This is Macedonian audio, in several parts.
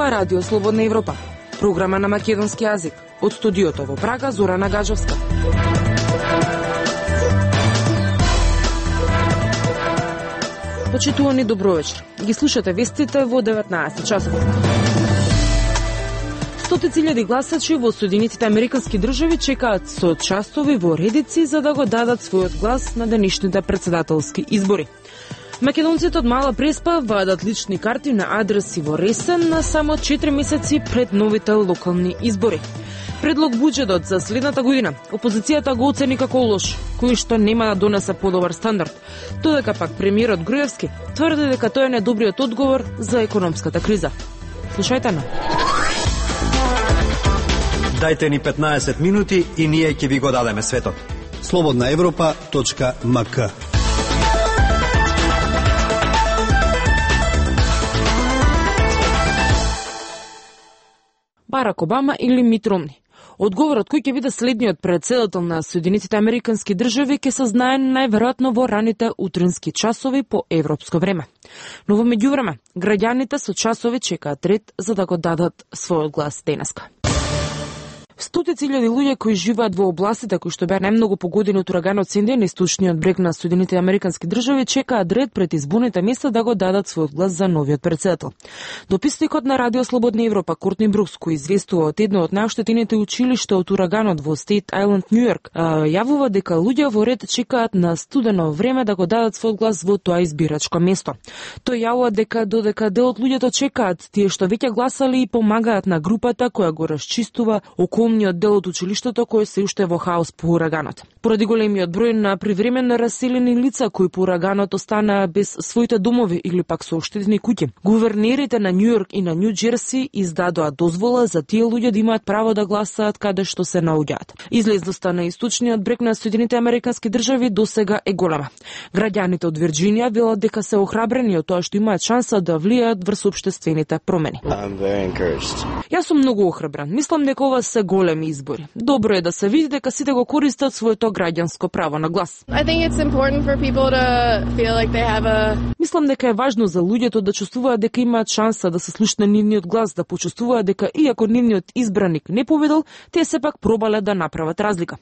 Ова е Радио Слободна Европа, програма на македонски јазик. Од студиото во Прага, Зорана Гаджовска. Почитувани, добро вечер. Ги слушате вестите во 19 часот. Стотици илјади гласачи во Соединетите Американски држави чекаат со часови во редици за да го дадат својот глас на денешните претседателски избори. Македонците од Мала Преспа вадат лични карти на адреси во Ресен на само 4 месеци пред новите локални избори. Предлог буџетот за следната година опозицијата го оцени како лош, кој што нема да донесе подобар стандард. Додека пак премиерот Груевски тврди дека тој е најдобриот одговор за економската криза. Слушајте на. Дајте ни 15 минути и ние ќе ви го дадеме светот. slobodnaevropa.mk. Барак Обама или Мит Ромни? Одговорот кој ќе биде следниот претседател на Соединетите Американски држави ќе се знае најверојатно во раните утрински часови по европско време. Но во меѓувреме, граѓаните со часови чекаат ред за да го дадат својот глас денеска. Стотици илјади луѓе кои живеат во областите кои што беа најмногу погодени од ураганот Синди на источниот брег на Соединетите Американски држави чекаат ред пред изборните места да го дадат својот глас за новиот претседател. Дописникот на Радио Слободна Европа Кортни Брукс, кој известува од едно од најоштетените училишта од ураганот во Стейт Ајленд, Њујорк, јавува дека луѓе во ред чекаат на студено време да го дадат својот глас во тоа избирачко место. Тој јавува дека додека дел од луѓето чекаат, тие што веќе гласали и помагаат на групата која го расчистува околниот дел од училиштето кој се уште во хаос по ураганот. Поради големиот број на привремено раселени лица кои по ураганот останаа без своите домови или пак со оштетени куќи, гувернерите на Њујорк и на Њу Џерси издадоа дозвола за тие луѓе да имаат право да гласаат каде што се наоѓаат. Излезноста на источниот брег на Соединетите Американски држави досега е голема. Граѓаните од Вирџинија велат дека се охрабрени од тоа што имаат шанса да влијаат врз општествените промени. Јас сум многу охрабрен. Мислам дека ова се големи избори. Добро е да се види дека сите го користат своето граѓанско право на глас. Мислам дека е важно за луѓето да чувствуваат дека имаат шанса да се слушне нивниот глас, да почувствуваат дека иако нивниот избраник не победил, тие сепак пробале да направат разлика.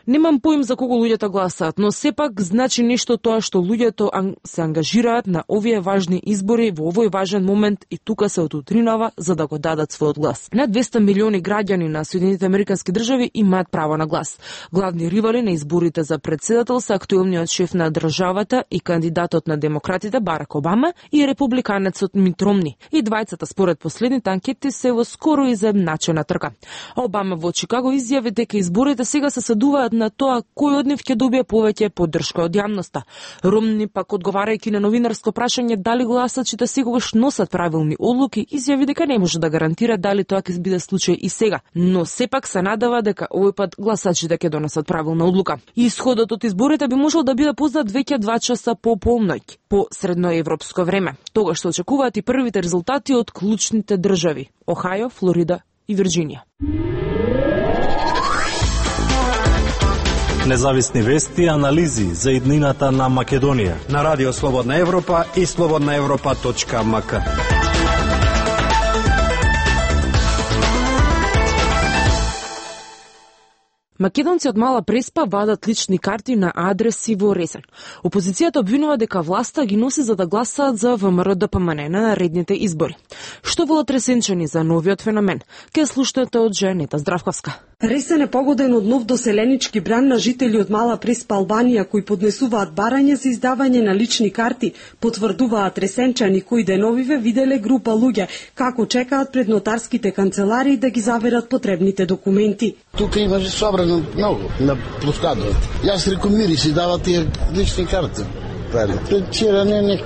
Немам поим за кого луѓето гласаат, но сепак значи нешто тоа што луѓето се ангажираат на овие важни избори во овој важен момент и тука се отутринава за да го дадат својот глас. Над 200 милиони граѓани на Соединетите Американски држави имаат право на глас. Главни ривали на изборите за претседател се актуелниот шеф на државата и кандидатот на демократите Барак Обама и републиканецот Мит Ромни. И двајцата според последните анкети се во скоро изедначена трка. Обама во Чикаго изјави дека изборите сега се следуваат на тоа кој од нив ќе добие повеќе поддршка од јавноста. Ромни пак одговарајќи на новинарско прашање дали гласачите сегогаш носат правилни одлуки, изјави дека не може да гарантира дали тоа ќе биде случај и сега, но сепак се надава дека овој пат гласачите ќе донесат правилна одлука. Исходот од изборите би можел да биде познат веќе 2 часа по полноќ по средноевропско време. Тогаш се очекуваат и првите резултати од клучните држави Охајо, Флорида и Вирџинија. Независни вести и анализи за иднината на Македонија На Радио Слободна Европа и slobodnaevropa.mk. Македонци од Мала Преспа вадат лични карти на адреси во Ресен. Опозицијата обвинува дека власта ги носи за да гласаат за ВМРО-ДПМН на наредните избори. Што велат ресенчани за новиот феномен? Ке слушнете од Женета Здравковска. Ресен е погоден од нов доселенички бран на жители од Мала Преспа, Албанија, кои поднесуваат барање за издавање на лични карти, потврдуваат ресенчани кои деновиве виделе група луѓе како чекаат пред нотарските канцеларии да ги заверат потребните документи. Тука имаше собрано многу на площадот. Јас реков мири си дават тие лични карти. Пред вчера не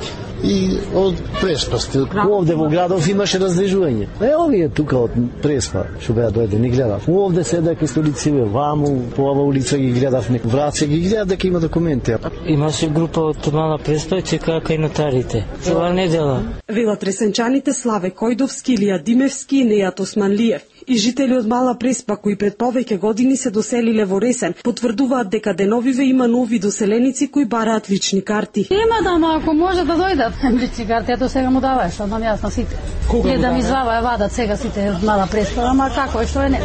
и од Преспа сте. Овде во градов имаше раздвижување. Овие тука од Преспа што беа дојдени гледав. Овде седа кај столициве, ваму по ова улица ги гледавме. Враце ги гледав дека има документи. Имаше група од Мала Преспа и чекаа кај нотарите. Това недела. Велат ресенчаните Славе Којдовски, Илија Димевски и Нејат Османлиев. и жители од Мала Преспа кои пред повеќе години се доселиле во Ресен потврдуваат дека деновиве има нови доселеници кои бараат лични карти. Има да, ама ако може да дојдат лични карти, ето сега му даваеш, што нам јас на сите. Кога да ми вадат сега сите од Мала Преспа, ама како е што е не.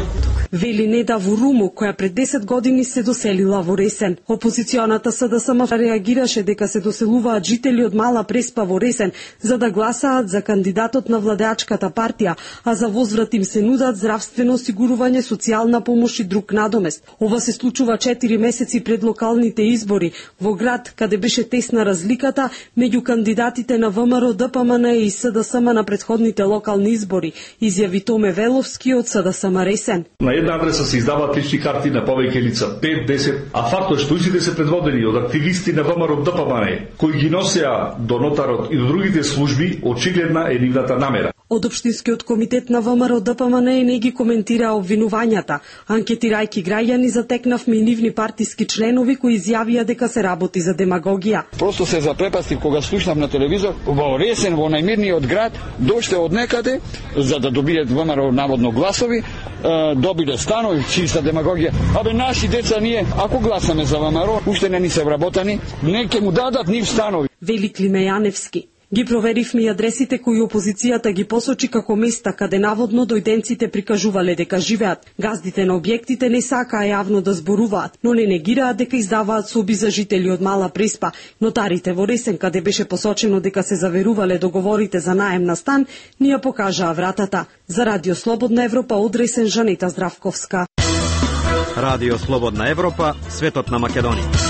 Вели Неда Вуруму, која пред 10 години се доселила во Ресен. Опозиционата СДСМ реагираше дека се доселуваат жители од Мала Преспа во Ресен за да гласаат за кандидатот на владеачката партија, а за возврат им се нудат здравствено осигурување, социјална помош и друг надомест. Ова се случува 4 месеци пред локалните избори во град каде беше тесна разликата меѓу кандидатите на ВМРО, ДПМН и СДСМ на претходните локални избори, изјави Томе Веловски од СДСМ Ресен. На една адреса се издаваат лични карти на повеќе лица, 5-10, а фактот што истите се предводени од активисти на ВМРО, ДПМН, кои ги носеа до нотарот и до другите служби, очигледна е нивната намера. Од Општинскиот комитет на ВМРО ДПМН не ги коментира обвинувањата. Анкетирајќи граѓани затекнавме и нивни партиски членови кои изјавија дека се работи за демагогија. Просто се запрепастив кога слушнав на телевизор во Ресен, во најмирниот град, дошле од некаде за да добијат ВМРО наводно гласови, добиле станови, чиста демагогија. Абе наши деца ние, ако гласаме за ВМРО, уште не ни се вработани, не ќе му дадат нив станови. Вели Климе Јаневски. Ги проверивме и адресите кои опозицијата ги посочи како места каде наводно дојденците прикажувале дека живеат. Газдите на објектите не сакаа јавно да зборуваат, но не негираат дека издаваат соби за жители од Мала Преспа. Нотарите во Ресен, каде беше посочено дека се заверувале договорите за наем на стан, ни ја покажаа вратата. За Радио Слободна Европа од Ресен, Жанета Здравковска. Радио Слободна Европа, светот на Македонија.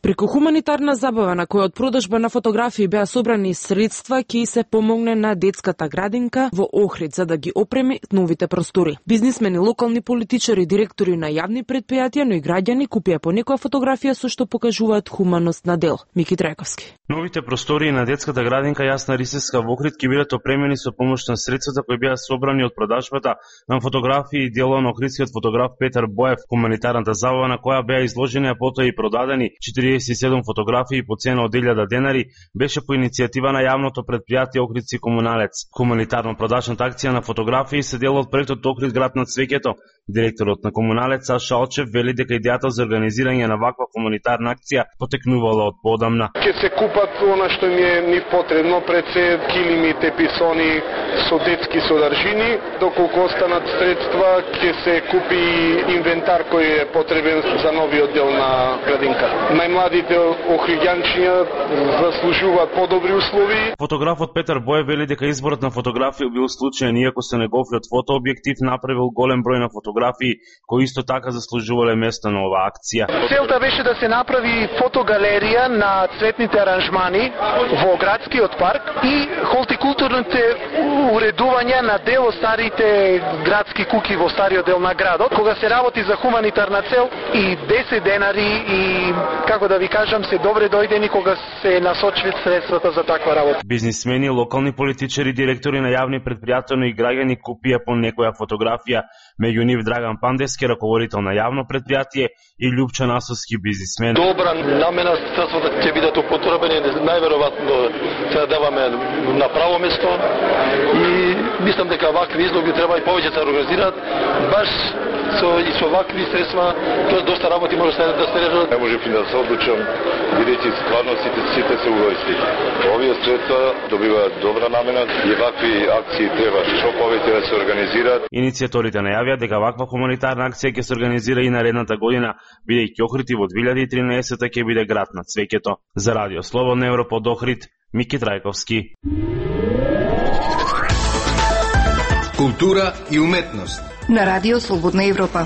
Преку хуманитарна забава на која од продажба на фотографии беа собрани средства ќе се помогне на детската градинка во Охрид за да ги опреми новите простори. Бизнисмени, локални политичари, директори на јавни предпријатија, но и граѓани купија по некоја фотографија со што покажуваат хуманост на дел. Мики Трајковски. Новите простории на детската градинка Јасна Рисевска во Охрид ќе бидат опремени со помош на средствата кои беа собрани од продажбата на фотографии и дело на охридскиот фотограф Петар Боев. Хуманитарната забава на која беа изложени, а потоа и продадени 47 фотографии по цена од 1000 денари, беше по иницијатива на јавното предпријатие Охридски комуналец. Хуманитарно-продажната акција на фотографии се дел од проектот Охрид град на цвеќето. Директорот на комуналец Саша Алчев вели дека идејата за организирање на ваква хуманитарна акција потекнувала од поодамна. Ке се купат она што ни потребно, пред се килими, теписони со детски содржини, доколку останат средства ќе се купи инвентар кој е потребен за новиот дел на градинка. Најмладите охриѓанчиња заслужуваат подобри услови. Фотографот Петар Боев вели дека изборот на фотографија бил случаен иако се неговиот фотообјектив направил голем број на фотографии кои исто така заслужувале место на оваа акција. Целта беше да се направи фотогалерија на цветните аранжмани во градскиот парк и холтикултурните уредувања на дел од старите градски куки во стариот дел на градот. Кога се работи за хуманитарна цел и 10 денари и како да ви кажам се добре дојдени кога се насочват средствата за таква работа. Бизнисмени, локални политичари, директори на јавни предпријатија, но и граѓани купија по некоја фотографија, меѓу нив Драган Пандевски, раководител на јавно предпријатие, и Љупчо Насовски, бизнисмен. Добра намена, средствата ќе бидат употребени, најверојатно се даваме на право место и мислам дека вакви излоги треба и повеќе се организираат, баш со вакви средства, тоа доста работи може да се решат. Не можев да се одлучам, бидејќи стварно сите се угоисти. Овие средства добиваат добра намена и вакви акции треба што повеќе да се организираат. Иницијаторите најавија дека ваква хуманитарна акција ќе се организира и наредната година, бидејќи Охрид во 2013 ќе биде град на цвеќето. За Радио Слободна Европа од Охрид, Мики Трајковски. Култура и уметност на Радио Слободна Европа.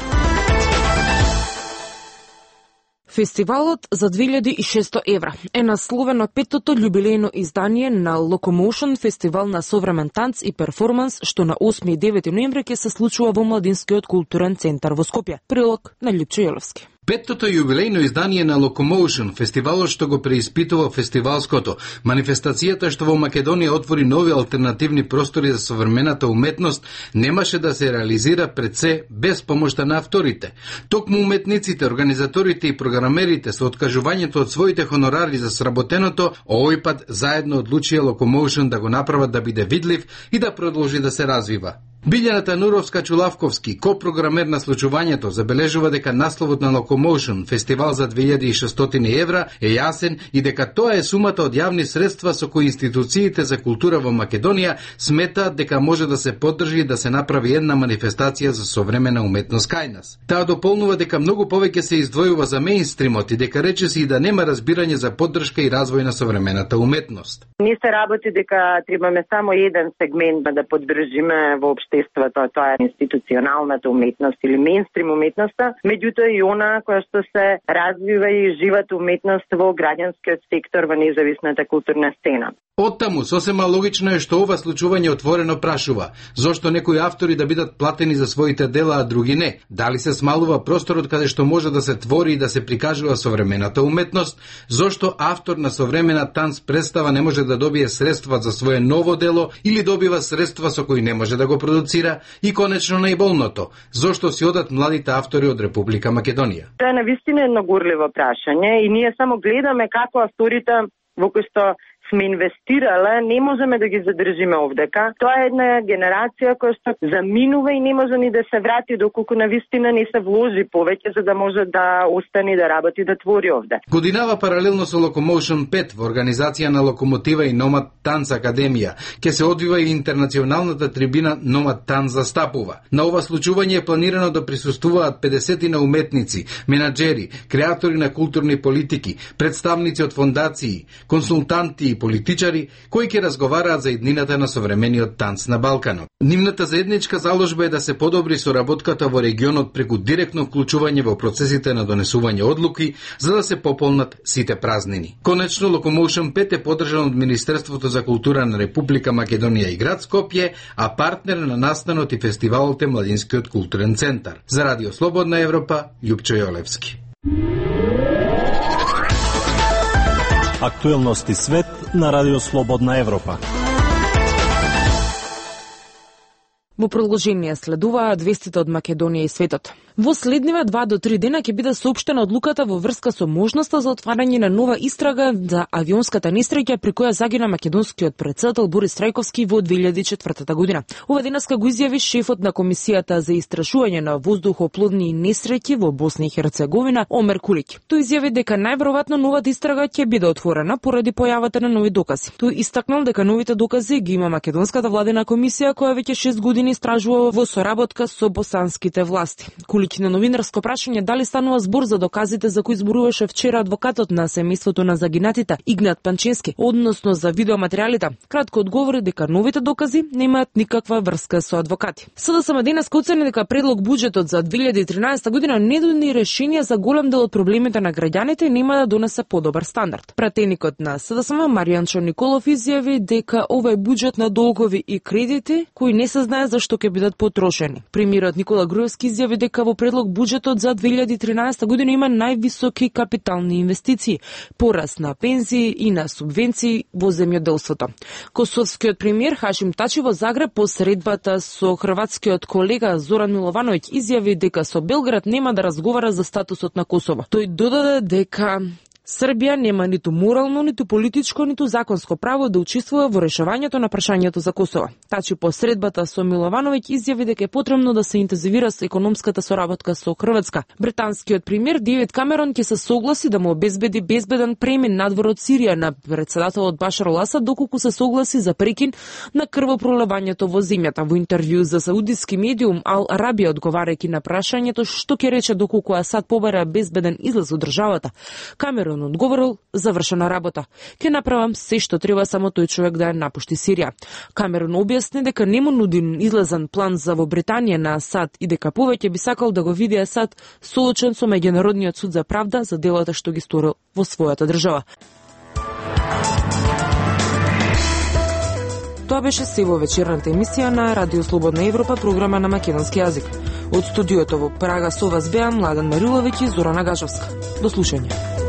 Фестивалот за 2600 евра е насловено петтото љубилејно издание на Locomotion, фестивал на современ танц и перформанс, што на 8 и 9 ноември ќе се случува во Младинскиот културен центар во Скопје. Прилог на Љупчо Јеловски. Петтото јубилејно издание на Locomotion, фестивалот што го преиспитува фестивалското, манифестацијата што во Македонија отвори нови алтернативни простори за современата уметност, немаше да се реализира пред се без помошта на авторите. Токму уметниците, организаторите и програмерите со откажувањето од своите хонорари за сработеното, овој пат заедно одлучија Locomotion да го направат да биде видлив и да продолжи да се развива. Билјана Тануровска-Чулавковски, копрограмер на случувањето, забележува дека насловот на Locomotion, фестивал за 2600 евра, е јасен и дека тоа е сумата од јавни средства со кои институциите за култура во Македонија сметаат дека може да се поддржи и да се направи една манифестација за современа уметност кај нас. Таа дополнува дека многу повеќе се издвојува за меинстримот и дека речиси и да нема разбирање за поддршка и развој на современата уметност. Не се работи дека требаме само еден сегмент да поддржиме во општеството, тоа е институционалната уметност или меинстрим уметноста, меѓутоа и она која што се развива и живата уметност во граѓанскиот сектор во независната културна сцена. Оттаму, сосема логично е што ова случување отворено прашува, зошто некои автори да бидат платени за своите дела, а други не? Дали се смалува просторот каде што може да се твори и да се прикажува современата уметност? Зошто автор на современа танц представа не може да добие средства за свое ново дело или добива средства со кои не може да го продуцира? И конечно најболното, зошто си одат младите автори од Република Македонија? Тоа е навистина едно горливо прашање и ние само гледаме како авторите во кои што сме инвестирале, не можеме да ги задржиме овдека. Тоа е една генерација која што заминува и не може ни да се врати доколку навистина не се вложи повеќе за да може да остане да работи, да твори овде. Годинава паралелно со Locomotion 5 во организација на Локомотива и Номад Танц Академија ќе се одвива и интернационалната трибина Номад Танц застапува. На ова случување е планирано да присуствуваат 50 на уметници, менаџери, креатори на културни политики, представници од фондации, консултанти и политичари кои ќе разговараат за иднината на современиот танц на Балканот. Нивната заедничка заложба е да се подобри соработката во регионот преку директно вклучување во процесите на донесување одлуки за да се пополнат сите празнини. Конечно, Locomotion 5 е поддржан од Министерството за култура на Република Македонија и град Скопје, а партнер на настанот и фестивалот е Младинскиот културен центар. За Радио Слободна Европа, Љупчо Јолевски. Актуелности свет на Радио Слободна Европа. Во продолжение следуваат вестите од Македонија и светот. Во следниве 2 до 3 дена ќе биде соопштена одлуката во врска со можноста за отварање на нова истрага за авионската несреќа при која загина македонскиот претседател Борис Трајковски во 2004 година. Ова денеска го изјави шефот на Комисијата за истражување на воздухоплодни несреќи во Босна и Херцеговина Омер Кулиќ. Тој изјави дека најверојатно новата истрага ќе биде отворена поради појавата на нови докази. Тој истакнал дека новите докази ги има македонската владина комисија која веќе 6 години истражува во соработка со босанските власти. Кулиќ на новинарско прашање дали станува збор за доказите за кои зборуваше вчера адвокатот на семејството на загинатите Игнат Панчински, односно за видеоматеријалите, кратко одговори дека новите докази немаат никаква врска со адвокати. СДСМ денеска оцени дека предлог буџетот за 2013 година не дони решение за голем дел од проблемите на граѓаните и нема да донесе подобар стандард. Пратеникот на СДСМ Маријанчо Николов изјави дека ова е буџет на долгови и кредити кои не се знае зашто ќе бидат потрошени. Премиерот Никола Груевски изјави дека во предлог буџетот за 2013 година има највисоки капитални инвестиции, пораст на пензии и на субвенции во земјоделството. Косовскиот премиер Хашим Тачи во Загреб по средбата со хрватскиот колега Зоран Миловановиќ изјави дека со Белград нема да разговара за статусот на Косово. Тој додаде дека Србија нема ниту морално, ниту политичко, ниту законско право да учествува во решавањето на прашањето за Косово. Тачи по средбата со Миловановиќ изјави дека е потребно да се интензивира со економската соработка со Хрватска. Британскиот премиер Девид Камерон ќе се согласи да му обезбеди безбеден премин надвор од Сирија на претседателот Башар ал-Асад доколку се согласи за прекин на крвопроливањето во земјата. Во интервју за саудиски медиум Ал Арабија одговарајќи на прашањето што ќе рече доколку Асад побара безбеден излез од државата, Камерон одговорил: завршена работа. Ќе направам се што треба само тој човек да ја напушти Сирија. Камерон објасни дека не му нуди излезен план за во Британија на Асад и дека повеќе би сакал да го види Асад соочен со Меѓународниот суд за правда за делата што ги сторил во својата држава. Тоа беше се во вечерната емисија на Радио Слободна Европа, програма на македонски јазик. Од студиото во Прага со вас беа Младен Мариловиќ и Зорана Гажовска. До слушање.